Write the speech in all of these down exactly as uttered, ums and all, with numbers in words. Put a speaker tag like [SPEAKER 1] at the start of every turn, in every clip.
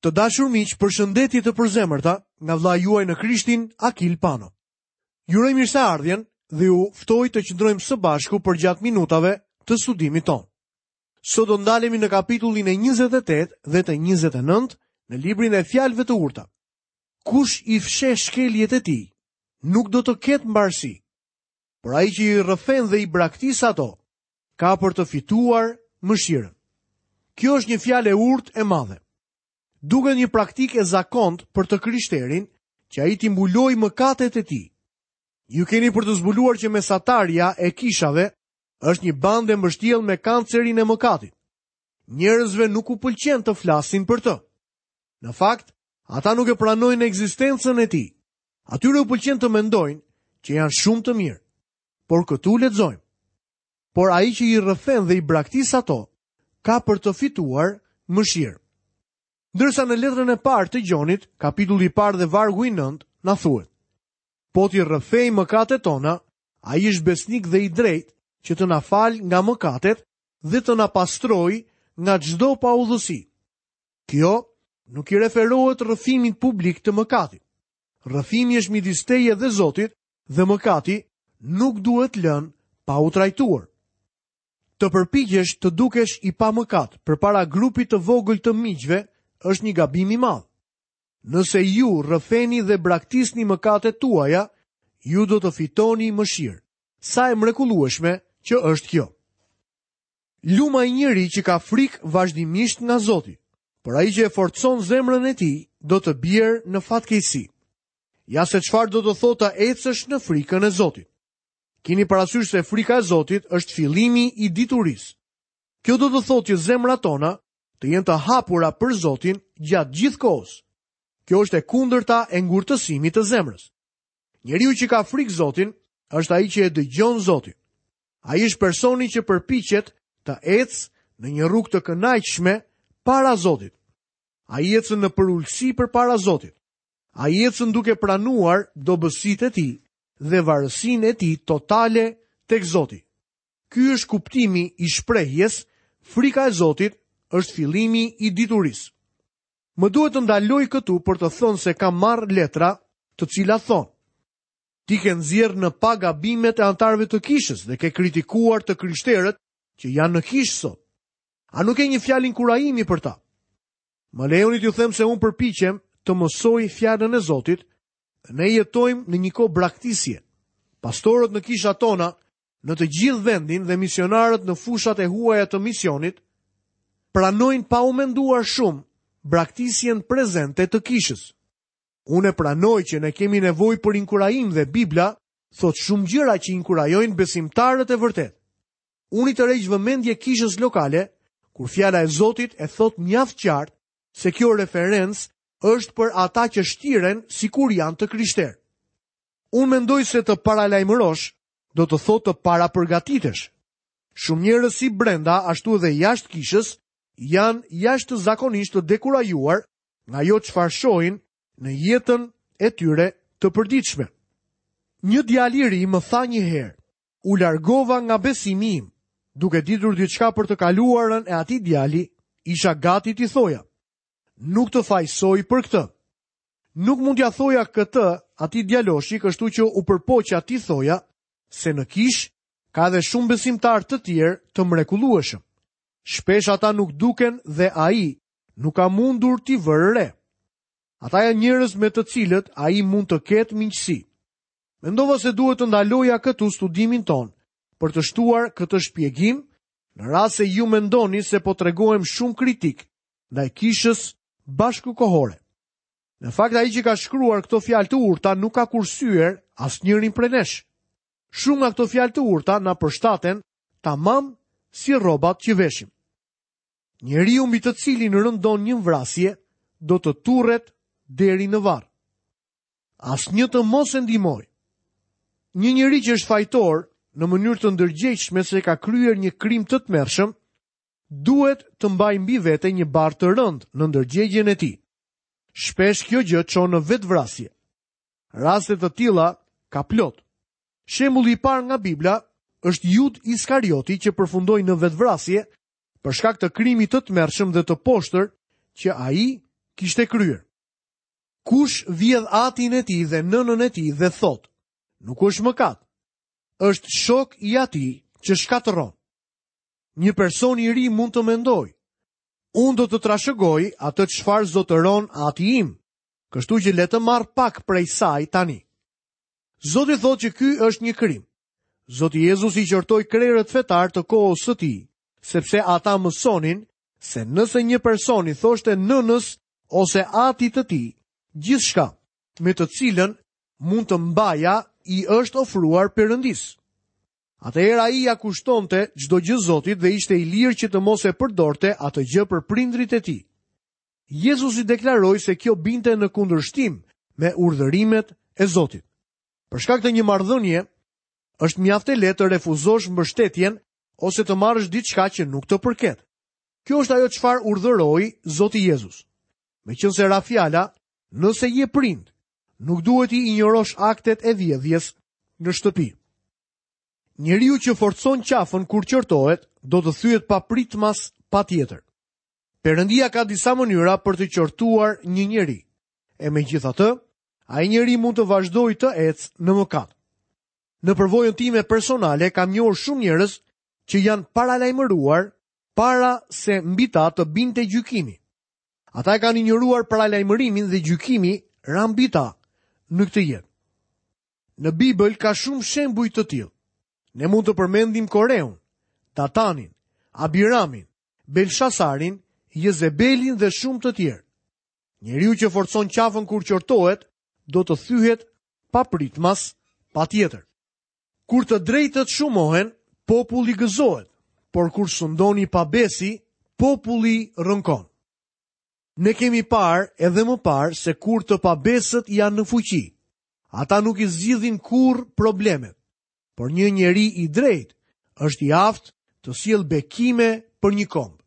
[SPEAKER 1] Të dashur miq, përshëndetje të përzemërta nga vëllai juaj në Krishtin, Akil Pano. Ju uroj mirëseardhjen dhe ju ftoj të qëndrojmë së bashku përgjatë minutave të studimit tonë. Sot do ndalemi në kapitullin e njëzet e tetë dhe të njëzet e nëntë në librin e Fjalëve të Urta. Kush i fsheh shkeljet e tij, nuk do të ketë mbarësi, por ai që i rrëfen dhe i braktis ato, ka për të fituar mëshirën. Kjo është një fjalë e urtë e madhe. Duket një praktikë e zakont për të krishterin që ai t'i mbulojë mëkatet e tij. Ju keni për të zbuluar që mesatarja e kishave është një bandë e mbështjellë me kancerin e mëkatit. Njerëzve nuk u pëlqen të flasin për të. Në fakt, ata nuk e pranojnë ekzistencën e tij. Atyre u pëlqen të mendojnë që janë shumë të mirë. Por këtu lexojmë: Por ai që i rrëfen dhe i braktis ato, ka për të fituar mëshirë. Ndërsa në letrën e parë të Gjonit, kapitulli i parë dhe vargu i nëntë, na thuhet: Po t'i rrëfejmë mëkatet tona, ai është besnik dhe i drejtë që të na falë nga mëkatet dhe të na pastrojë nga çdo paudhësi. Kjo nuk i referohet rrëfimit publik të mëkatit. Rrëfimi është midis teje dhe Zotit dhe mëkati nuk duhet lënë pa u trajtuar. Të përpiqesh të dukesh i pamëkat përpara grupit të vogël të miqve është një gabim i madh. Nëse ju rrëfeni dhe braktisni mëkatet tuaja, ju do të fitoni mëshirë. Sa e mrekullueshme që është kjo. Luma i njeri që ka frikë vazhdimisht nga Zoti, por ai që e forcon zemrën e tij do të bjerë në fatkeqësi. Ja se çfarë do të thotë të ecësh në frikën e Zotit. Kini parasysh se frika e Zotit është fillimi i diturisë. Kjo do të thotë që zemrat tona të jenë të hapura për Zotin gjatë gjithë kohës. Kjo është e kundërta e ngurtësimit të zemrës. Njeriu që ka frikë Zotin është ai që e dëgjon Zotin. Ai është personi që përpiqet të ecë në një rrugë të kënaqshme para Zotit. Ai ecën në përulësi përpara Zotit. Ai ecën duke pranuar dobësitë e tij dhe varësinë e tij totale tek Zoti. Ky është kuptimi i shprehjes frika e Zotit është fillimi i diturisë. Më duhet të ndaloj këtu për të thënë se kam marrë letra të cilat thonë: Ti ke nxjerrë në pa gabimet e antarëve të kishës dhe ke kritikuar të krishterët që janë në kishë sot. A nuk ke një fjalë inkurajimi për ta? Më lejoni t'ju them se unë përpiqem të mësoj fjalën e Zotit dhe ne jetojmë në një kohë braktisje. Pastorët në kishat tona, në të gjithë vendin dhe misionarët në fushat e huaja të misionit, pranojnë pa u menduar shumë braktisjen prezente të kishës. Unë e pranoj që ne kemi nevojë për inkurajim dhe Bibla thotë shumë gjëra që inkurajojnë besimtarët e vërtetë. Unë i tërheq vëmendje kishës lokale kur fjala e Zotit e thotë mjaft qartë se kjo referencë është për ata që shtiren sikur janë të krishterë. Unë mendoj se të paralajmërosh do të thotë të parapërgatitesh. Shumë njerëz si brenda ashtu edhe jashtë kishës janë jashtëzakonisht të dekurajuar nga ajo çfarë shohin në jetën e tyre të përditshme. Një djalë i ri më tha një herë: "U largova nga besimi im." Duke ditur diçka për të kaluarën e atij djali, isha gati t'i thoja: "Nuk të fajsoj për këtë." Nuk mund t'ja thoja këtë atij djaloshi, kështu që u përpoqa t'i thoja se në kish ka edhe shumë besimtar të tjerë të mrekullueshëm. Shpesh ata nuk duken dhe ai nuk ka mundur t'i vërë re. Ata janë njerëz me të cilët ai mund të ketë miqësi. Mendova se duhet të ndaloja këtu studimin ton për të shtuar këtë shpjegim, në rast se ju mendoni se po tregohem shumë kritik ndaj kishës bashkëkohore. Në fakt, ai që ka shkruar këto fjalë të urta nuk ka kursyer asnjërin prej nesh. Shumë nga këto fjalë të urta na përshtaten tamam si rrobat që veshim. Njeriu mbi të cilin rëndon një vrasje do të turret deri në varr. Asnjë të mos e ndihmoj. Një njeri që është fajtor në mënyrë të ndërgjegjshme se ka kryer një krim të tmerrshëm, duhet të mbajë mbi vete një barrë të rëndë në ndërgjegjen e tij. Shpesh kjo gjë çon në vetvrasje. Raste të tilla ka plot. Shembulli i parë nga Bibla është Jud Iskarioti që përfundoi në vetvrasje për shkak të krimit të tmerrshëm dhe të poshtër që ai kishte kryer. Kush vjedh atin e tij dhe nënën e tij dhe thotë, nuk është mëkat, është shok i atij që shkatërron. Një person i ri mund të mendojë, unë do të trashëgoj atë çfarë zotëron ati im, kështu që le të marr pak prej saj tani. Zoti thotë që ky është një krim. Zoti Jezus i qortoi krerët fetar të kohës së tij, sepse ata mësonin se nëse një person i thoshte nënës ose atit të tij, gjithçka me të cilën mund të mbaja i është ofruar Perëndisë. Atëherë ai ja kushtonte çdo gjë Zotit dhe ishte i lirë që të mos e përdorte atë gjë për prindrit e tij. Jezusi deklaroi se kjo binte në kundërshtim me urdhërimet e Zotit. Për shkak të një marrëdhënie, është mjaft e lehtë të refuzosh mbështetjen ose të marrësh diçka që nuk të përket. Kjo është ajo çfarë urdhëroi Zoti Jezus. Meqense ra fjala, nëse je prind, nuk duhet i injorosh aktet e vjedhjes në shtëpi. Njeriu që forcon qafën kur qortohet, do të thyet papritmas patjetër. Perëndia ka disa mënyra për të qortuar një njeri. E megjithatë, ai njeri mund të vazhdojë të ecë në mëkat. Në përvojën time personale kam njohur shumë njerëz që janë paralajmëruar para se mbi ta të binte gjykimi. Ata e kanë injoruar paralajmërimin dhe gjykimi ra mbi ta në këtë jetë. Në Bibël ka shumë shembuj të tillë. Ne mund të përmendim Koreun, Datanin, Abiramin, Belshasarin, Jezebelin dhe shumë të tjerë. Njeriu që forcon qafën kur qortohet, do të thyhet papritmas patjetër. Kur të drejtët shumohen, populli gëzohet, por kur sundon i pabesi, populli rënkon. Ne kemi parë edhe më parë se kur të pabesët janë në fuqi, ata nuk i zgjidhin kurrë problemet, por një njeri i drejtë është i aftë të sjellë bekime për një komb.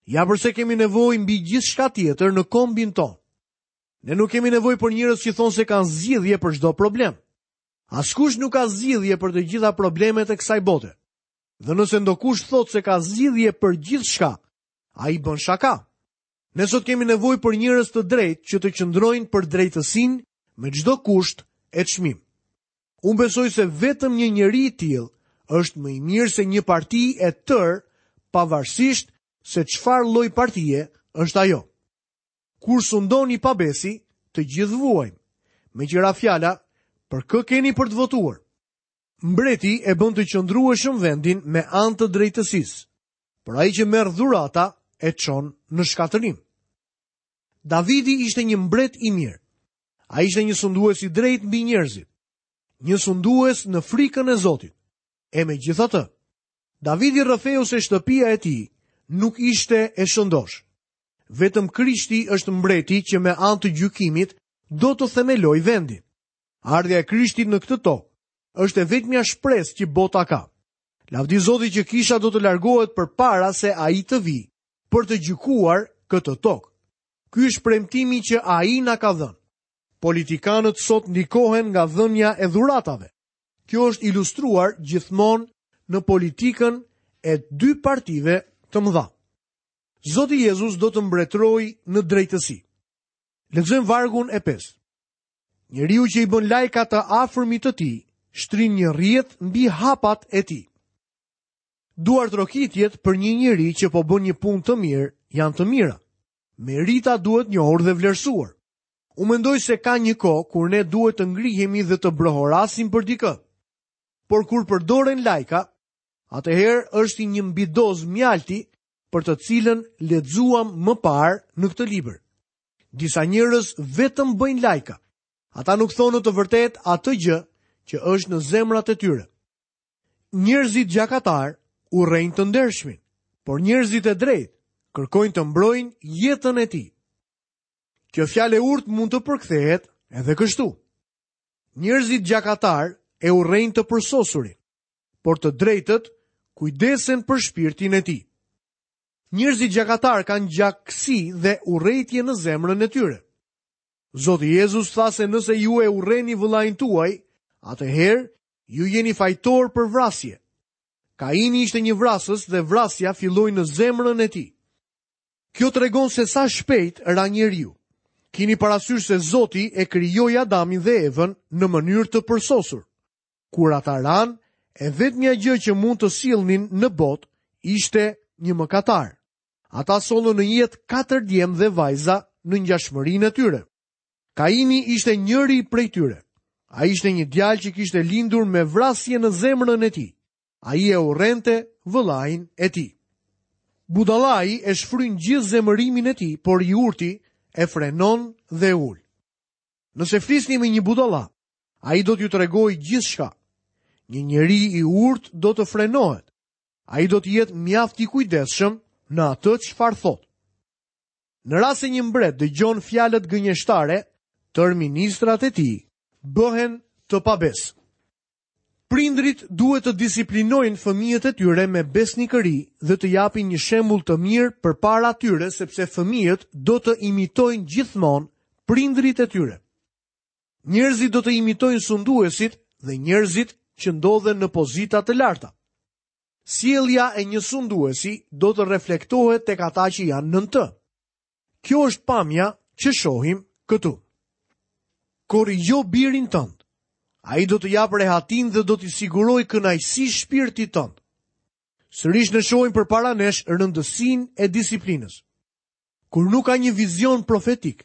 [SPEAKER 1] Ja përse kemi nevojë mbi gjithçka tjetër në kombin tonë. Ne nuk kemi nevojë për njerëz që thonë se kanë zgjidhje për çdo problem. Askush nuk ka zgjidhje për të gjitha problemet e kësaj bote. Dhe nëse ndokush thotë se ka zgjidhje për gjithçka, ai bën shaka. Ne sot kemi nevojë për njerëz të drejtë që të qëndrojnë për drejtësinë me çdo kusht e çmim. Unë besoj se vetëm një njeri i tillë është më i mirë se një parti e tërë, pavarësisht se çfarë lloj partie është ajo. Kur sundon i pabesi, të gjithë vuajmë. Me qira fjala, për kë keni për të votuar? Mbreti e bën të qëndrueshëm vendin me anë të drejtësisë, por ai që merr dhurata e çon në shkatërrim. Davidi ishte një mbret i mirë. Ai ishte një sundues i drejtë mbi njerëzit, një sundues në frikën e Zotit. E megjithatë, Davidi rrëfeu se shtëpia e tij nuk ishte e shëndosh. Vetëm Krishti është mbreti që me anë të gjykimit do të themelojë vendin. Ardhja e Krishtit në këtë tokë është e vetmja shpresë që bota ka. Lavdi Zotit që kisha do të largohet përpara se ai të vijë për të gjykuar këtë tokë. Ky është premtimi që ai na ka dhënë. Politikanët sot ndikohen nga dhënia e dhuratave. Kjo është ilustruar gjithmonë në politikën e dy partive të mëdha. Zoti Jezus do të mbretërojë në drejtësi. Lexojmë vargun e pestë. Njeriu që i bën lajka të afërmit të tij, shtrin një rrjet mbi hapat e tij. Duartrokitjet për një njeri që po bën një punë të mirë janë të mira. Merita duhet njohur dhe vlerësuar. Unë mendoj se ka një kohë kur ne duhet të ngrihemi dhe të brohorasim për dikë. Por kur përdoren lajka, atëherë është një mbidoz mjalti për të cilën lexuam më parë në këtë libër. Disa njerëz vetëm bëjnë lajka. Ata nuk thonë të vërtetë atë gjë që është në zemrat e tyre. Njerëzit gjakatar urrejnë të ndershmin, por njerëzit e drejtë kërkojnë të mbrojnë jetën e tij. Kjo fjalë e urtë mund të përkthehet edhe kështu. Njerëzit gjakatar e urrejnë të përsosurin, por të drejtët kujdesen për shpirtin e tij. Njerëzit gjakatar kanë gjakësi dhe urrejtje në zemrën e tyre. Zoti Jezus tha se nëse ju e urreni vëllain tuaj, atëherë ju jeni fajtor për vrasje. Kaini ishte një vrasës dhe vrasja filloi në zemrën e tij. Kjo tregon se sa shpejt ra njeriu. Kini parasysh se Zoti e krijoi Adamin dhe Evën në mënyrë të përsosur. Kur ata ranë, e vetmja gjë që mund të sillnin në botë ishte një mëkatar. Ata sollën në jetë katër djem dhe vajza në ngjashmërinë e tyre. Kaini ishte njëri prej tyre. Ai ishte një djalë që kishte lindur me vrasje në zemrën e tij. Ai e urrente vëllain e tij. Budallai e shfryn gjithë zemërimin e tij, por i urti e frenon dhe ul. Nëse flisni me një budalla, ai do t'ju tregojë gjithçka. Një njeri i urtë do të frenohet. Ai do të jetë mjaft i kujdesshëm në atë çfarë thotë. Në rast se një mbret dëgjon fjalët gënjeshtare, tër ministrat e tij bëhen të pabesë. Prindrit duhet të disiplinojnë fëmijët e tyre me besnikëri dhe të japin një shembull të mirë përpara tyre, sepse fëmijët do të imitojnë gjithmonë prindrit e tyre. Njerëzit do të imitojnë sunduesit dhe njerëzit që ndodhen në pozita të larta. Sjellja e një sunduesi do të reflektohet tek ata që janë nën të. Kjo është pamja që shohim këtu. Korrigjo birin tënd. Ai do të japë rehatin dhe do t'i sigurojë kënaqësi shpirtit tënd. Sërish ne shohim përpara nesh rëndësinë e disiplinës. Kur nuk ka një vizion profetik,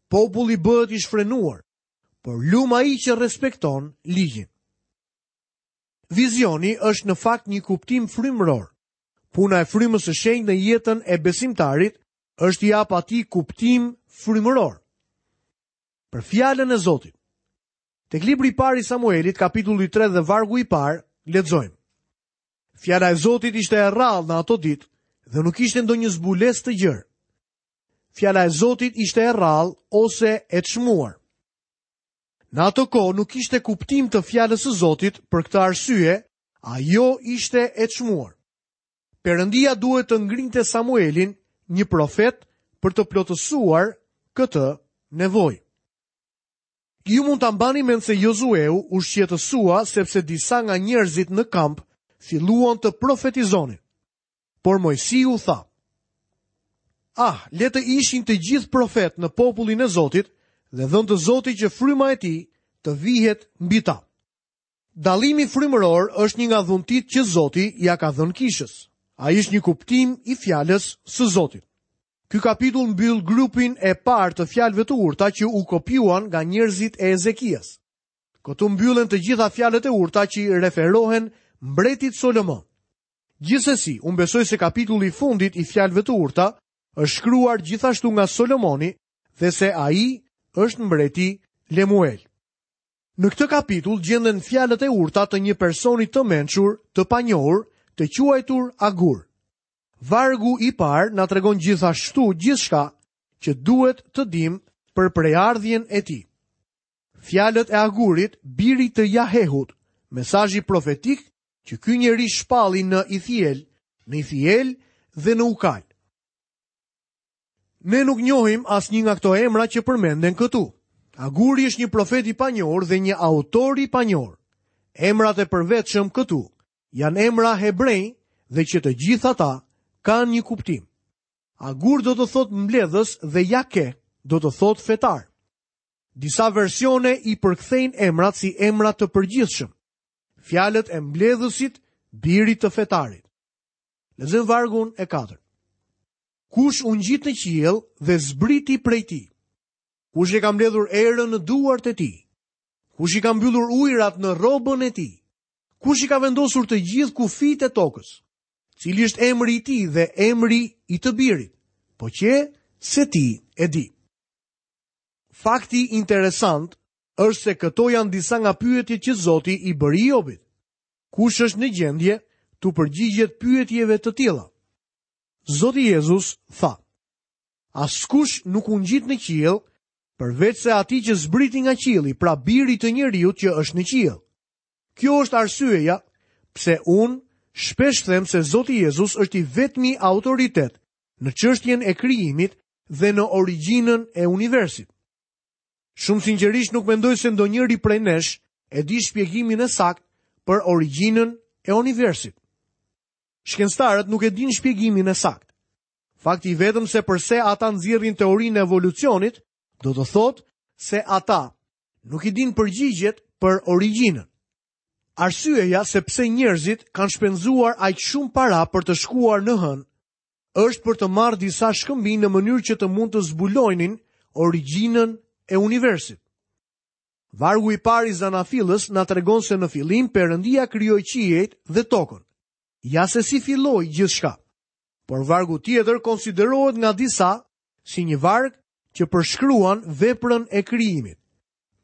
[SPEAKER 1] populli bëhet i shfrenuar, por lum ai që respekton ligjin. Vizioni është në fakt një kuptim frymëror. Puna e frymës së shenjtë në jetën e besimtarit është i jap atij kuptim frymëror. Për fjalën e Zotit. Tek libri i parë i Samuelit, kapitulli tre dhe vargu i parë, lexojmë. Fjala e Zotit ishte e rrallë në ato ditë dhe nuk ishte ndonjë zbulesë të gjerë. Fjala e Zotit ishte e rrallë ose e çmuar. Në ato kohë nuk ishte kuptim të fjalës së Zotit, për këtë arsye ajo ishte e çmuar. Perëndia duhet të ngrinte Samuelin, një profet, për të plotësuar këtë nevojë. Ju mund ta mbani mend se Jozueu u shqetësua sepse disa nga njerëzit në kamp filluan të profetizonin. Por Moisiu tha: Ah, le të ishin të gjithë profet në popullin e Zotit dhe dhënë të Zotit që fryma e tij të vihet mbi ta. Dallimi frymëror është një nga dhuntit që Zoti ja ka dhënë kishës. Ai është një kuptim i fjalës së Zotit. Ky kapitull mbyll grupin e parë të fjalëve të urta që u kopjuan nga njerëzit e Ezekias. Këtu mbyllen të gjitha fjalët e urta që i referohen mbretit Solomon. Gjithsesi, unë besoj se kapitulli i fundit i fjalëve të urta është shkruar gjithashtu nga Solomoni dhe se ai është mbreti Lemuel. Në këtë kapitull gjenden fjalët e urta të një personi të mençur, të panjohur, të quajtur Agur. Vargu i parë na tregon gjithashtu gjithçka që duhet të dim për prejardhjen e tij. Fjalët e Agurit, birit të Jahehut, mesazhi profetik që ky njeri shpalli në Ithiel, në Ithiel dhe në Ukal. Ne nuk njohim asnjë nga këto emra që përmenden këtu. Aguri është një profet i panjohur dhe një autor i panjohur. Emrat e përvetshëm këtu janë emra hebrej dhe që të gjithë ata kanë një kuptim. Agur do të thotë mbledhës dhe Jake do të thotë fetar. Disa versione i përkthejnë emrat si emra të përgjithshëm. Fjalët e mbledhësit, birit të fetarit. Lexojmë vargun e katërt. Kush u ngjit në qiell dhe zbriti prej tij? Kush e ka mbledhur erën në duart e tij? Kush i ka mbyllur ujërat në rrobën e tij? Kush i ka vendosur të gjithë kufijtë e tokës? Cili është emri i tij dhe emri i të birit? Po që se ti e di. Fakti interesant është se këto janë disa nga pyetjet që Zoti i bëri Jobit. Kush është në gjendje t'u përgjigjet pyetjeve të tilla? Zoti Jezus tha: Askush nuk u ngjit në qiell përveç se atij që zbriti nga qielli, pra birit të njeriut që është në qiell. Kjo është arsyeja pse unë shpesh them se Zoti Jezus është i vetmi autoritet në çështjen e krijimit dhe në origjinën e universit. Shumë sinqerisht nuk mendoj se ndonjëri prej nesh e di shpjegimin e saktë për origjinën e universit. Shkencëtarët nuk e dinë shpjegimin e saktë. Fakti i vetëm se përse ata nxjerrin teorinë e evolucionit Do të thotë se ata nuk i dinë përgjigjet për origjinën. Arsyeja se pse njerëzit kanë shpenzuar aq shumë para për të shkuar në hënë është për të marrë disa shkëmbinj në mënyrë që të mund të zbulojnin origjinën e universit. Vargu i parë i Zanafillës na tregon se në fillim Perëndia krijoi qiejt dhe tokën. Ja se si filloi gjithçka. Por vargu tjetër konsiderohet nga disa si një varg që përshkruan veprën e krijimit.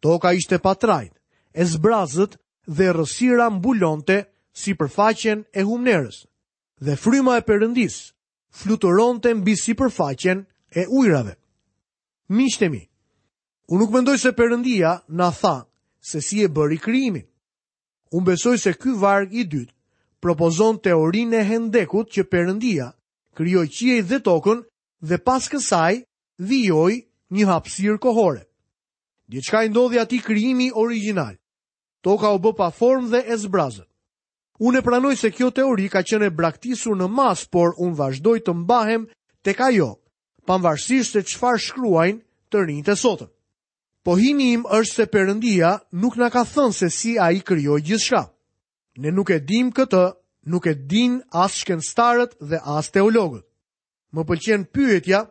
[SPEAKER 1] Toka ishte pa trajt, e zbrazët dhe errësira mbulonte sipërfaqen e humnerës. Dhe fryma e Perëndisë fluturonte mbi sipërfaqen e ujrave. Miqtë e mi, unë nuk mendoj se Perëndia na tha se si e bëri krijimin. Unë besoj se ky varg i dytë propozon teorinë e hendekut që Perëndia krijoi qiejt dhe tokën dhe pas kësaj vijoi një hapësirë kohore. Diçka i ndodhi atij krijimi origjinal. Toka u bë pa formë dhe e zbrazët. Unë e pranoj se kjo teori ka qenë e braktisur në masë, por unë vazhdoj të mbahem tek ajo, pavarësisht se çfarë shkruajnë të rinjtë e sotëm. Pohimi im është se Perëndia nuk na ka thënë se si ai krijoi gjithçka. Ne nuk e dim këtë, nuk e din as shkencëtarët dhe as teologët. Më pëlqen pyetja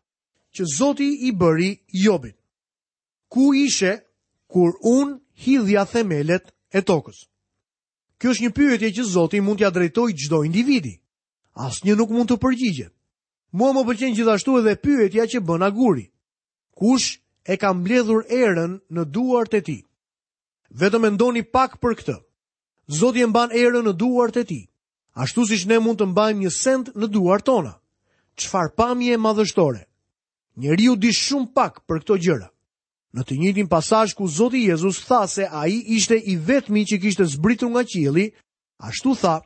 [SPEAKER 1] që Zoti i bëri Jobit. Ku ishe kur unë hidhja themelet e tokës? Kjo është një pyetje që Zoti mund t'ia drejtojë çdo individi. Asnjë nuk mund të përgjigjet. Mua më pëlqen gjithashtu edhe pyetja që bën Aguri. Kush e ka mbledhur erën në duart e tij? Vetëm mendoni pak për këtë. Zoti e mban erën në duart e tij, ashtu siç ne mund të mbajmë një send në duart tona. Çfarë pamje madhështore! Njeriu di shumë pak për këto gjëra. Në të njëjtin pasazh ku Zoti Jezus tha se ai ishte i vetmi që kishte zbritur nga qielli, ashtu tha: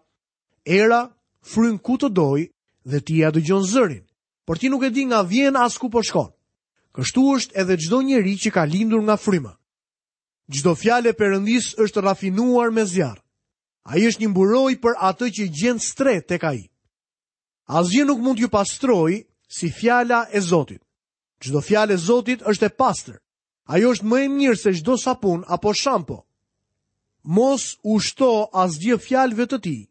[SPEAKER 1] Era fryn ku të doj dhe ti ja dëgjon zërin, por ti nuk e di nga vjen as ku po shkon. Kështu është edhe çdo njeri që ka lindur nga fryma. Çdo fjalë e Perëndisë është rafinuar me zjarr. Ai është një mburojë për atë që gjen strehë tek ai. Asgjë nuk mund t'ju pastrojë si fjala e Zotit. Çdo fjalë e Zotit është e pastër. Ajo është më e mirë se çdo sapun apo shampo. Mos u shto asgjë fjalëve të tij,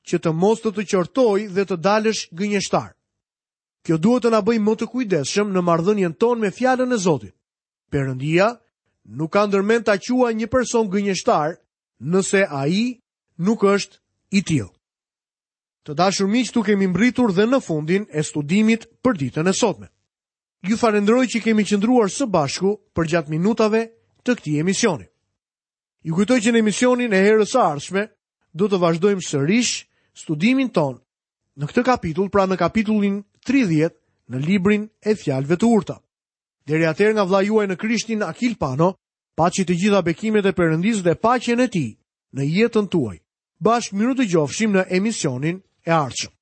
[SPEAKER 1] që të mos të të qortoj dhe të dalësh gënjeshtar. Kjo duhet të na bëjë më të kujdesshëm në marrëdhënien tonë me fjalën e Zotit. Perëndia nuk ka ndërmend ta quajë një person gënjeshtar nëse ai nuk është i tillë. Të dashur miq, tu kemi mbritur dhe në fundin e studimit për ditën e sotme. Ju falenderoj që kemi qëndruar së bashku përgjatë minutave të këtij emisioni. Ju kujtoj që në emisionin e herës së ardhshme do të vazhdojmë sërish studimin ton në këtë kapitull, pra në kapitullin tridhjetë në librin e fjalëve të urta. Deri atëherë nga vëllai juaj në Krishtin Akil Pano, paçi të gjitha bekimet e Perëndisë dhe paqen e tij në jetën tuaj. Bashkë mirë dëgjofshim në emisionin e ardhshëm.